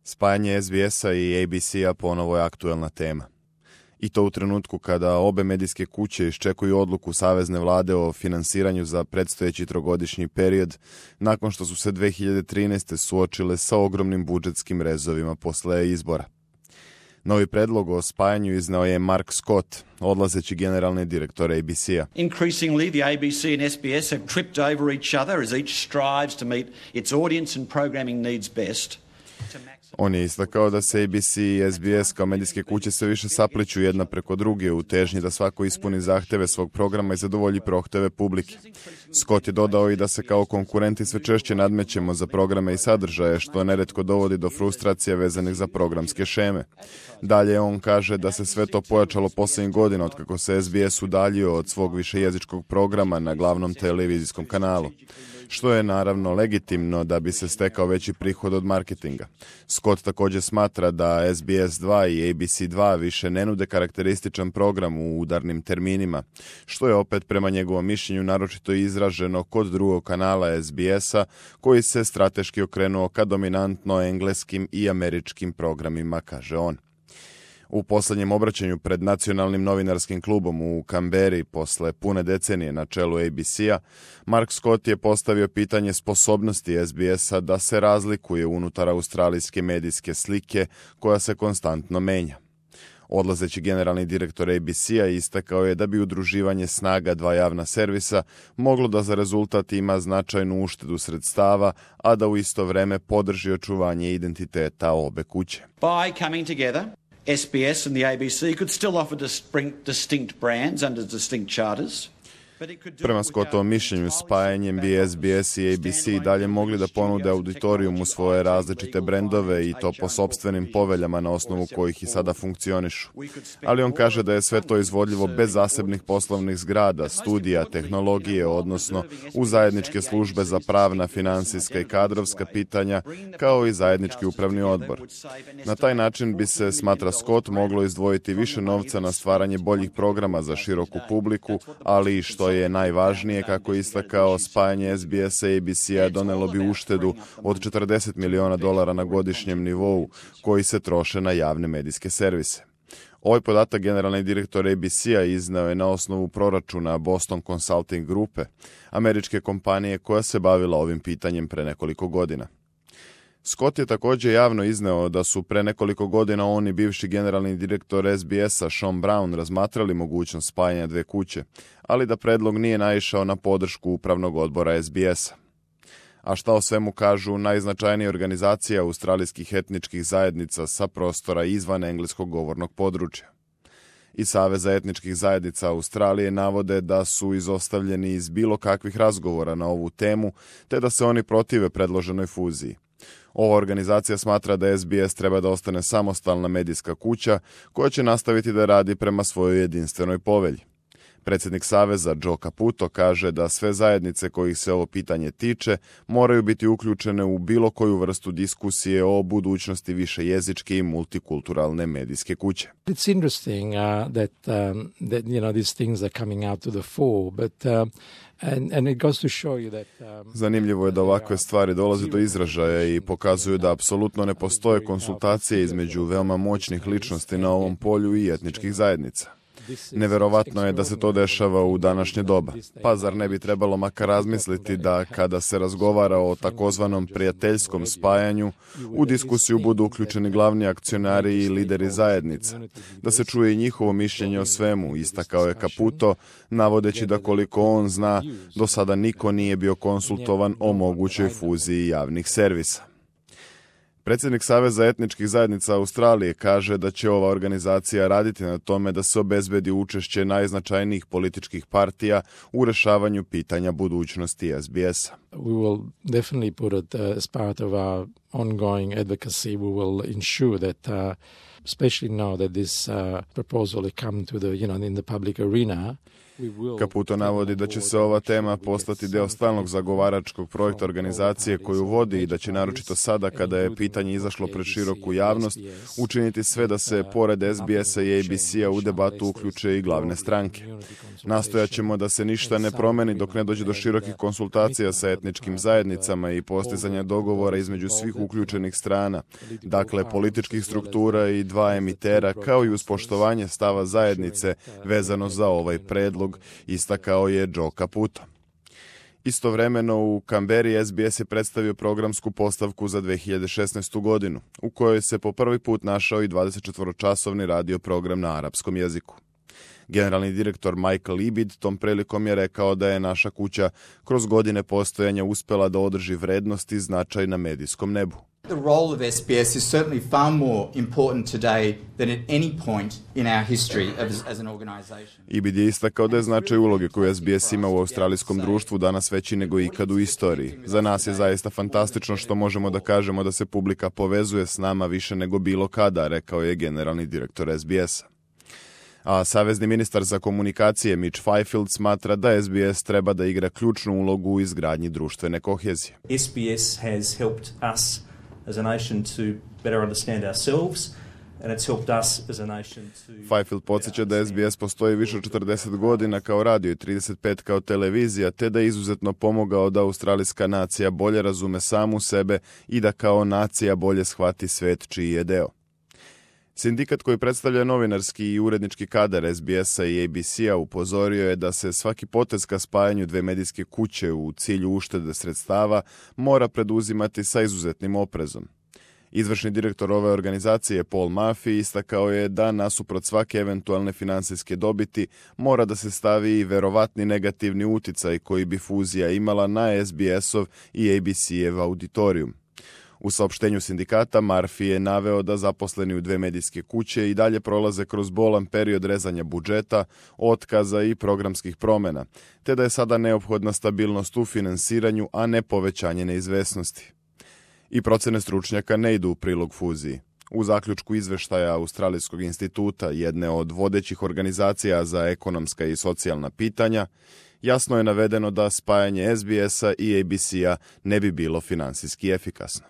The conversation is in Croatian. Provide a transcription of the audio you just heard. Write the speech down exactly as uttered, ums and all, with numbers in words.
Spajanje es bi esa i a be ce-a ponovo je aktuelna tema. I to u trenutku kada obe medijske kuće iščekuju odluku savezne vlade o finansiranju za predstojeći trogodišnji period, nakon što su se dve hiljade trinaeste. suočile sa ogromnim budžetskim rezovima posle izbora. Novi predlog o spajanju izneo je Mark Scott, odlazeći generalni direktor a be ce-a. Increasingly, the a be ce and es bi es have tripped over each other as each strives to meet its audience and programming needs best. On je istakao da se a be ce i es bi es kao medijske kuće sve više sapliću jedna preko druge u težnji da svako ispuni zahteve svog programa i zadovolji prohteve publike. Scott je dodao i da se kao konkurenti sve češće nadmećemo za programe i sadržaje, što neretko dovodi do frustracija vezanih za programske šeme. Dalje on kaže da se sve to pojačalo posljednjih godina otkako se es bi es udaljio od svog višejezičkog programa na glavnom televizijskom kanalu, što je naravno legitimno da bi se stekao veći prihod od marketinga. Scott također smatra da es bi es dva i a be ce dva više ne nude karakterističan program u udarnim terminima, što je opet prema njegovom mišljenju naročito izraženo kod drugog kanala es bi esa, koji se strateški okrenuo ka dominantno engleskim i američkim programima, kaže on. U posljednjem obraćanju pred Nacionalnim novinarskim klubom u Kamberi posle pune decenije na čelu a be ce-a, Mark Scott je postavio pitanje sposobnosti es bi esa da se razlikuje unutar australijske medijske slike koja se konstantno menja. Odlazeći generalni direktor a be ce-a istakao je da bi udruživanje snaga dva javna servisa moglo da za rezultat ima značajnu uštedu sredstava, a da u isto vreme podrži očuvanje identiteta obe kuće. By coming together, es bi es and the a be ce could still offer distinct brands under distinct charters. Prema Scottovom mišljenju, spajanjem bi es bi es i a be ce dalje mogli da ponude auditorijumu svoje različite brendove i to po sopstvenim poveljama na osnovu kojih i sada funkcionišu. Ali on kaže da je sve to izvodljivo bez zasebnih poslovnih zgrada, studija, tehnologije, odnosno u zajedničke službe za pravna, finansijska i kadrovska pitanja, kao i zajednički upravni odbor. Na taj način bi se, smatra Scott, moglo izdvojiti više novca na stvaranje boljih programa za široku publiku, ali i što je najvažnije, kako je istakao, spajanje es bi esa i a be ce-a donelo bi uštedu od četrdeset miliona dolara na godišnjem nivou, koji se troše na javne medijske servise. Ovaj podatak generalni direktor a be ce-a izneo je na osnovu proračuna Boston Consulting grupe, američke kompanije koja se bavila ovim pitanjem pre nekoliko godina. Scott je također javno izneo da su pre nekoliko godina on i bivši generalni direktor es bi esa Sean Brown razmatrali mogućnost spajanja dve kuće, ali da predlog nije naišao na podršku upravnog odbora es bi esa. A šta o svemu kažu najznačajnija organizacija australijskih etničkih zajednica sa prostora izvan engleskog govornog područja. I Saveza etničkih zajednica Australije navode da su izostavljeni iz bilo kakvih razgovora na ovu temu, te da se oni protive predloženoj fuziji. Ova organizacija smatra da es bi es treba da ostane samostalna medijska kuća koja će nastaviti da radi prema svojoj jedinstvenoj povelji. Predsjednik Saveza Joe Caputo kaže da sve zajednice kojih se ovo pitanje tiče moraju biti uključene u bilo koju vrstu diskusije o budućnosti višejezičke i multikulturalne medijske kuće. It's interesting uh, that um, that you know these things are coming out to the fore, but uh, and and it goes to show you that um, Zanimljivo je da ovakve stvari dolaze do izražaja i pokazuju da apsolutno ne postoje konsultacije između veoma moćnih ličnosti na ovom polju i etničkih zajednica. Neverovatno je da se to dešava u današnje doba. Pa zar ne bi trebalo makar razmisliti da kada se razgovara o takozvanom prijateljskom spajanju, u diskusiju budu uključeni glavni akcionari i lideri zajednica, da se čuje i njihovo mišljenje o svemu, istakao je Caputo, navodeći da koliko on zna, do sada niko nije bio konsultovan o mogućoj fuziji javnih servisa. Predsjednik Saveza etničkih zajednica Australije kaže da će ova organizacija raditi na tome da se obezbedi učešće najznačajnijih političkih partija u rešavanju pitanja budućnosti es bi esa. We will definitely put it uh, as part of our ongoing advocacy. We will ensure that, uh, especially now that this uh, proposal has come to the, you know, in the public arena. Caputo navodi da će se ova tema postati deo stalnog zagovaračkog projekta organizacije koju vodi i da će naročito sada kada je pitanje izašlo pred široku javnost učiniti sve da se pored es bi esa i a be ce-a u debatu uključe i glavne stranke. Nastojaćemo da se ništa ne promeni dok ne dođe do širokih konsultacija sa etničkim zajednicama i postizanja dogovora između svih uključenih strana, dakle političkih struktura i dva emitera, kao i uz poštovanje stava zajednice vezano za ovaj predlog, istakao je Joe Caputo. Istovremeno u Kamberi S B S je predstavio programsku postavku za dve hiljade šesnaestu godinu, u kojoj se po prvi put našao i dvadesetčetvoročasovni radio program na arapskom jeziku. Generalni direktor Michael Ibid tom prilikom je rekao da je naša kuća kroz godine postojanja uspela da održi vrednost i značaj na medijskom nebu. The role of S B S is certainly far more important today than at any point in our history as, as an organization. Ibid je istakao da je značaj uloge koju S B S ima u australijskom društvu danas veći nego ikad u istoriji. Za nas je zaista fantastično što možemo da kažemo da se publika povezuje s nama više nego bilo kada, rekao je generalni direktor S B S-a. A savezni ministar za komunikacije Mitch Fifield smatra da S B S treba da igra ključnu ulogu u izgradnji društvene kohezije. S B S has helped us as a nation to better understand ourselves, and it's helped us as a nation to... Fifield podsjeća da S B S postoji više od četrdeset godina kao radio i trideset pet kao televizija, te da je izuzetno pomogao da australijska nacija bolje razume samu sebe i da kao nacija bolje shvati svet čiji je deo. Sindikat koji predstavlja novinarski i urednički kadar S B S-a i A B C-a upozorio je da se svaki potez ka spajanju dve medijske kuće u cilju uštede sredstava mora preduzimati sa izuzetnim oprezom. Izvršni direktor ove organizacije Paul Murphy istakao je da nasuprot svake eventualne finansijske dobiti mora da se stavi i verovatni negativni uticaj koji bi fuzija imala na S B S-ov i A B C-ev auditorijum. U saopštenju sindikata Murphy je naveo da zaposleni u dve medijske kuće i dalje prolaze kroz bolan period rezanja budžeta, otkaza i programskih promjena, te da je sada neophodna stabilnost u finansiranju, a ne povećanje neizvesnosti. I procene stručnjaka ne idu u prilog fuziji. U zaključku izveštaja Australijskog instituta, jedne od vodećih organizacija za ekonomska i socijalna pitanja, jasno je navedeno da spajanje S B S-a i A B C-a ne bi bilo finansijski efikasno.